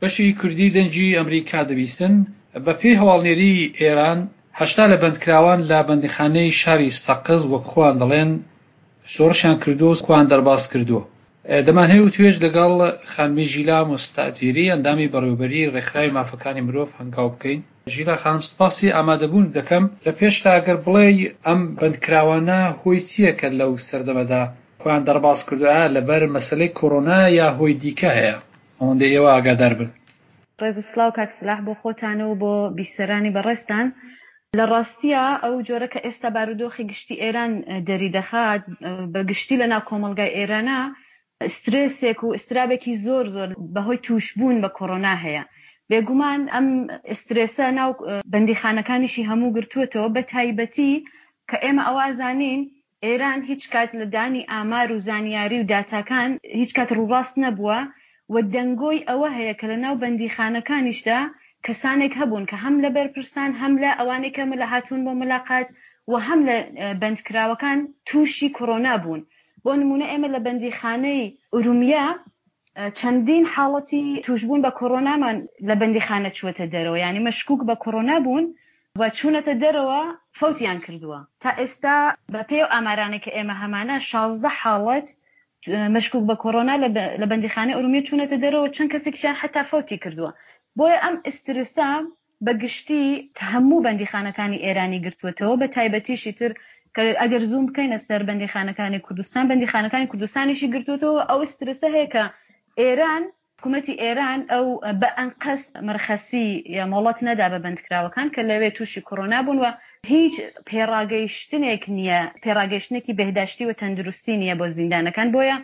بەشی کوردی دەنگی ئەمریکا دەبیستن. بە پێی هەواڵنێریی ئێران، 80 لە بەندکراوان لە بەندیخانەی شاری سەقز وەک خۆیان دەڵێن شۆڕشیان کردووە و خۆیان دەرباز کردووە. دەمانهەوێ وتوێژ لەگەڵ خانمی ژیلا موستەئجیری ئەندامی بەڕێوەبەریی ڕێکخراوی مافەکانی مرۆڤ هەنگاو بکەین. ژیلا خانم سپاسی ئامادەبوونت دەکەم. لە پێشدا ئەگەر بڵێی ئەم بەندکراوانە هۆی چییە کە لەو سەردەمەدا خۆیان دەرباز کردووە ئایا لەبەر مەسەلەی کۆرۆنایە یا هۆی دیکە هەیە؟ ئەوەندەی ئێوە ئاگادار بن. ڕێز و سڵاو کاک سلاح بۆ خۆتان و بۆ بیسەرانی بەڕێزتان. لە ڕاستیا ئەو جۆرە کە ئێستا بارودۆخی گشتی ئێران دەریدەخات بە گشتی لە ناو کۆمەڵگای ئێرانا سترێسێک و ئیسترابێکی زۆر زۆر بە هۆی تووشبوون بە کۆرۆنا هەیە. بێگومان ئەم سترێسە ناو بەندیخانەکانیشی هەموو گرتووەتەوە بە تایبەتی کە ئێمە ئەوە ئەزانین ئێران هیچ کات لە دانی ئامار و زانیاری و داتاکان هیچ کات ڕووڕاست نەبووە و دەنگۆی ئەوە هەیە کە لە ناو بەندیخانەکانیشدا کەسانێک هەبوون کە هەم لە بەرپرسان هەم لە ئەوانەی کە هاتوون بۆ ملاقات و هەم لە بەندکراوەکان تووشی کۆرۆنا بوون. بۆ نموونە ئێمە لە بەندیخانەی ئورومیە چەندین حاڵەتی تووشبوون بە کۆرۆنامان لە بەندیخانە چووەتە دەرەوە، یانی مەشکوک بە کۆرۆنا بوون و چوونەتە دەرەوە فەوتیان کردووە. تا ئێستا بە پێی ئەو ئامارانەی کە ئێمە هەمانە 16 حاڵەت مەشکوک بە کۆرۆنا لە بەندیخانەی ئورومیە چوونەتە دەرەوە، چەند کەسێکیشیان حەتا فەوتی کردووە. بۆیە ئەم ئیسترسە بە گشتی هەموو بەندیخانەکانی ئێرانی گرتووەتەوە، بە تایبەتیش ئیتر کە ئەگەر زووم بکەینە سەر بەندیخانەکانی کوردستان، بەندیخانەکانی کوردستانیشی گرتووەتەوە. ئەو ئیسترسە هەیە کە ئێران، حکوومەتی ئێران ئەو بە ئەنقەست مرخەسی یا مۆڵەت نەدا بە بەندکراوەکان کە لەوێ تووشی کۆرۆنا بوون و هیچ پێڕاگەیشتنێک نییە، پێڕاگەیشتنێکی بێهداشتی و تەندروستی نییە بۆ زیندانەکان، بۆیە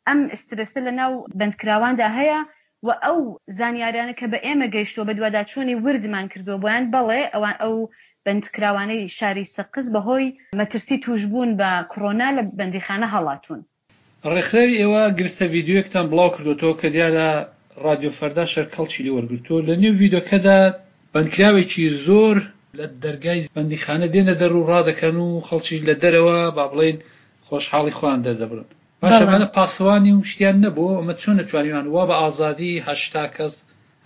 ئەم سترێسە لە ناو بەندکراواندا هەیە و ئەو زانیاریانە کە بە ئێمە گەیشتووە بەدواداچوونی وردمان کردووە بۆیان، بەڵێ ئەوان ئەو بەندکراوانەی شاری سەقز بەهۆی مەترسی تووشبوون بە کڕۆنا لە بەندیخانە هەڵاتوون. ڕێکخراوی ئێوە گرتە ڤیدیۆیەکتان بڵاو کردۆتەوە کە دیارە ڕادیۆ فەردا شەر کەڵکی لێ وەرگرتووە، لە نێو ڤیدۆکەدا بەندکراوێکی زۆر لە دەرگای بەندیخانە دێنە دەر و ڕادەکەن و خەڵکیش لە دەرەوە با بڵێین خۆشحاڵی خۆیان دەردەبڕن. باشە ئەمانە پاسەوانی و شتیان نەبوو؟ ئەمە چۆن توانیوان وا بە ئازادی 80 کەس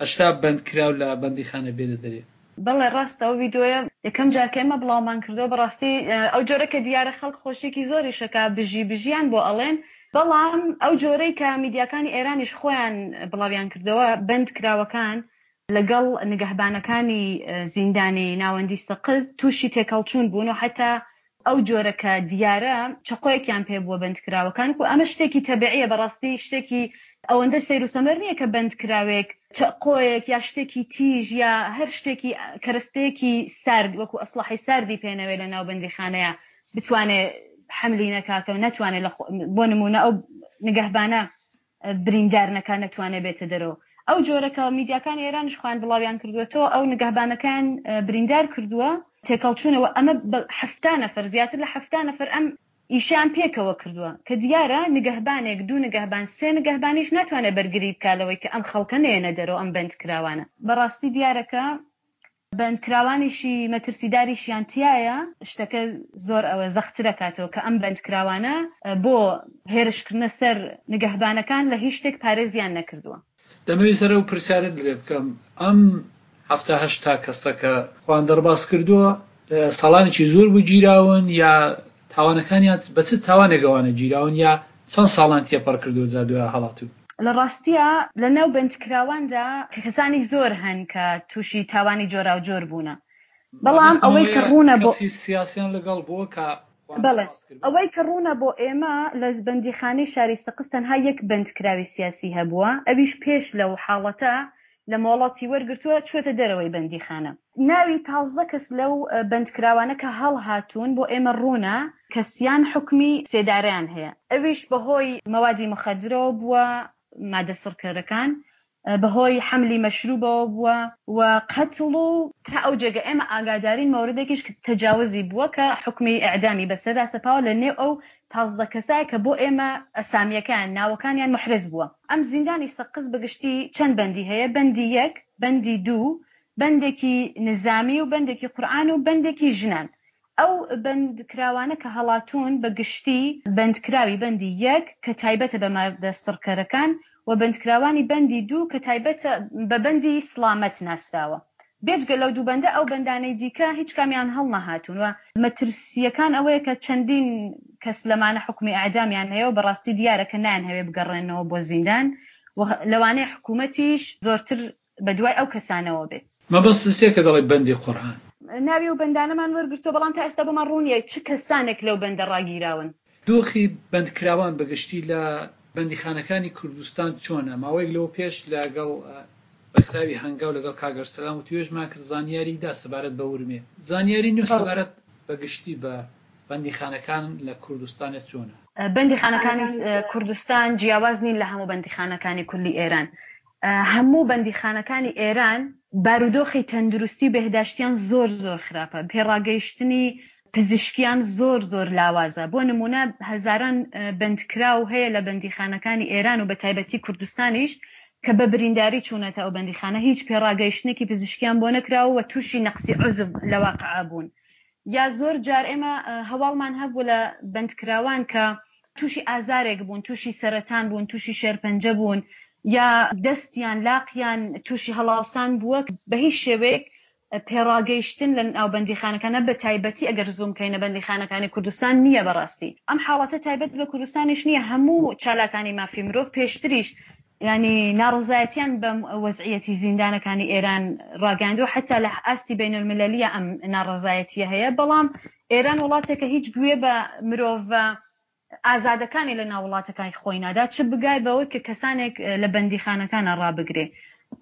80 بەندکراو لە بەندیخانە بێنە دەرێ؟ بەڵێ ڕاستە ئەو ڤیدۆیە یەکەم جار کە ئێمە بڵاومان کردەوە بەڕاستی ئەو جۆرە کە دیارە خەڵک خۆشیەکی زۆریش ئەکا بژی بژیان بۆ ئەڵێن بەڵام ئەو جۆرەی کە میدیاکانی ئێرانیش خۆیان بڵاویان کردەوە بەند کراوەکان لەگەڵ نگەهبانەکانی زیندانی ناوەندی سەقز تووشی تێکهەڵچوون بوون و حەتا ئەو جۆرە کە دیارە چەقۆیەکیان پێ بووە بەندکراوەکان و ئەمە شتێکی تەبیعیە بەڕاستی شتێکی ئەوەندە سەیر و سەمەر نییە کە بەندکراوێک چەقۆیەک یا شتێکی تیژ یا هەر شتێکی کەرەستەیەکی سارد وەکو ئەسڵەحەی ساردی پێ نەوێ لە ناو بەندیخانەیە بتوانێ حەملی نەکا کە نەتوانێ لە بۆ نموونە ئەو نگەهبانە بریندار نەکا نەتوانێ بێتە دەرەوە. ئەو جۆرە کە میدیاکانی ئێرانیش خۆیان بڵاویان کردووەتەوە ئەو نگەهبانەکەیان بریندار کردووە تێکەڵچوونەوە ئەمە بە 70 نەفەر زیاتر لە 70 نەفەر ئەم ئیشیان پێکەوە کردووە کە دیارە نگەهبانێک دوو نگەهبان سێ نگەهبانیش ناتوانێت بەرگری بکا لەوەی کە ئەم خەڵکە نەیەنە دەرەوە ئەم بەندکراوانە. بەڕاستی دیارە کە بەندکراوانیشی مەترسیداریشیان تیایە، شتەکە زۆر ئەوە زەقترەکاتەوە کە ئەم بەندکراوانە بۆ هێرشکردنە سەر نگەهبانەکان لە هیچ شتێک پارێزیان نەکردووە. دەمەوێت سەر ئەو پرسیارەت لێ بکەم، ئەم 70 80 کەسە کە خۆیان دەرباز کردووە ساڵانێکی زۆر بوو گیراون یا تاوانەکانیان بە چ تاوانێک ئەوانە گیراون یا چەند ساڵان تێپەڕ کردووە جا دوای هەڵاتوون؟ لە ڕاستیا لە ناو بەندکراواندا کەسانی زۆر هەن کە تووشی تاوانی جۆراوجۆر بوونە، بەڵام مەبەستم ئەوەی کە ئەوەیە ڕوونە بۆ. کەسی سیاسیان لەگەڵ بووە کە خۆیان بەڵێ دەرباز کردبێ؟ ئەوەی کە ڕوونە بۆ ئێمە لە بەندیخانەی شاری سەقز تەنها یەک بەندکراوی سیاسی هەبووە ئەویش پێش لەو حاڵەتە لە مۆڵەتی وەرگرتووە چووەتە دەرەوەی بەندیخانە. ناوی 15 کەس لەو بەندکراوانە کە هەڵهاتوون بۆ ئێمە ڕوونە کە سیان حوکمی سێدارەیان هەیە ئەویش بەهۆی مەوادی موخەدرەوە بووە، مادە سڕکەرەکان، بەهۆی حەملی مەشروبەوە بووە و قەتڵ و تا ئەو جێگە ئێمە ئاگادارین مەوردێکیش تەجاوزی بووە کە حوکمی ئیعدامی بەسەردا سەپاوە لە نێو ئەو 15 کەسە کە بۆ ئێمە ئەسامییەکەیان، ناوەکانیان موحرز بووە. ئەم زیندانی سەقز بە گشتی چەند بەندی هەیە، بەندی یەک، بەندی دوو، بەندێکی نزامی و بەندێکی قورئان و بەندێکی ژنان. ئەو بەندکراوانە کە هەڵاتوون بە گشتی بەندکراوی بەندی یەک کە تایبەتە بە مادە سڕکەرەکان و بەندکراوانی بەندی دوو کە تایبەتە بە بەندی سڵامەت ناسراوە. بێجگە لەو دوو بەندە ئەو بەندانەی دیکە هیچ کامیان هەڵنەهاتوون و مەترسییەکان ئەوەیە کە چەندین کەس لەمانە حوکمی ئێعدامیان هەیە و بەڕاستی دیارە کە نایانهەوێ بگەڕێنەوە بۆ زیندان و لەوانەیە حکوومەتیش زۆرتر بە دوای ئەو کەسانەوە بێت. مەبەستت چیە کە دەڵێی بەندی قورئان؟ ناوی ئەو بەندانەمان وەرگرتووە، بەڵام تا ئێستا بۆمان ڕوون نییە چ کەسانێک لەو بەندە ڕاگیراون. دۆخی بەندکراوان بە گشتی لە بەندیخانەکانی کوردستان چۆنە؟ ماوەیەک لەوە پێش لە گەڵ ڕێکخراوی هەنگاو لەگەڵ کاک ئەرسەلان وتوێژمان کرد زانیاری دا سەبارەت بە ورمێ. زانیاری نوێ سەبارەت بە گشتی بە بەندیخانەکان لە کوردستانێ چۆنە؟ بەندیخانەکانی کوردستان جیاواز نین لە هەموو بەندیخانەکانی کولی ئێران. هەموو بەندیخانەکانی ئێران بارودۆخی تەندروستی و بێهداشتیان زۆر زۆر خراپە، پێڕاگەیشتنی پزیشکیان زۆر زۆر لاوازە، بۆ نموونە هەزاران بەندکراو هەیە لە بەندیخانەکانی ئێران و بەتایبەتی کوردستانیش کە بە برینداری چوونەتە ئەو بەندیخانە هیچ پێڕاگەیشتنێکی پزیشکیان بۆ نەکراوە و تووشی نەقسی عوزو لە واقع بوون. یا زۆر جار ئێمە هەواڵمان هەبوو لە بەندکراوان کە تووشی ئازارێک بوون، تووشی سەرەتان بوون، تووشی شێرپەنجە بوون یا دەستیان، لاقیان تووشی هەڵاوسان بووە، بە هیچ شێوەیەک پێڕاگەیشتن لە ناو بەندیخانەکانە بە تایبەتی ئەگەر زووم بکەینە بەندیخانەکانی کوردستان نییە بەڕاستی. ئەم حاڵەتە تایبەت بە کوردستانیش نییە، هەموو چالاکانی مافی مرۆڤ پێشتریش یانی ناڕەزایەتیان بەم وەزعیەتی زیندانەکانی ئێران ڕاگەیاندووە، حەتا لە ئاستی بەینەلمیلەلییا ئەم ناڕەزایەتییە هەیە، بەڵام ئێران وڵاتێکە هیچ گوێ بە مرۆڤە ئازادەکانی لە ناو وڵاتەکای خۆی نادا، چ بگای بەوەی کە کەسانێک لە بەندیخانەکانا ڕابگرێ.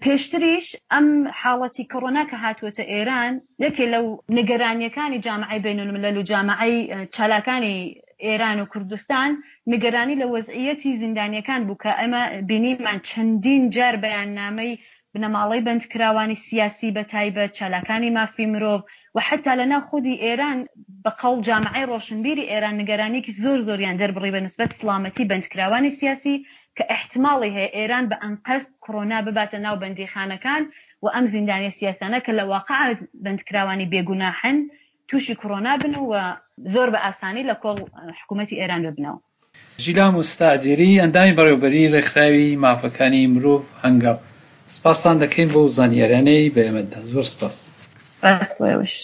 پێشتریش ئەم حاڵەتی کۆرۆنا کە هاتووەتە ئێران، یەکێ لەو نیگەرانییەکانی جامعەی بەینەلمیلەل و جامعەی چالاکانی ئێران و کوردستان نیگەرانی لە وەزعییەتی زیندانییەکان بوو کە ئێمە بینیمان چەندین جار بەیاننامەی بنەماڵەی بەندکراوانی سیاسی بە تایبەت، چالاکانی مافی مرۆڤ و حەتا لە ناو خودی ئێران بە قەوڵ جامعەی ڕۆشنبیری ئێران نیگەرانییەکی زۆر زۆریان دەربڕی بە نسبەت سڵامەتی بەندکراوانی سیاسی کە ئیحتماڵی هەیە ئێران بە ئەنقەست کڕۆنا بباتە ناو بەندیخانەکان و ئەم زیندانیە سیاسانە کە لە واقع بەندکراوانی بێگوناحن تووشی کڕۆنا بن و زۆر بە ئاسانی لە کۆڵ حکوومەتی ئێران ببنەوە. ژیلا موستەئجیری، ئەندامی بەڕێوەبەریی ڕێکخراوی مافەکانی مرۆڤ هەنگاو، سپاستان دەکەین بەو زانیاریانەی بە ئێمەت دا. زۆر سپاس. سپاس بۆ ئێوەش.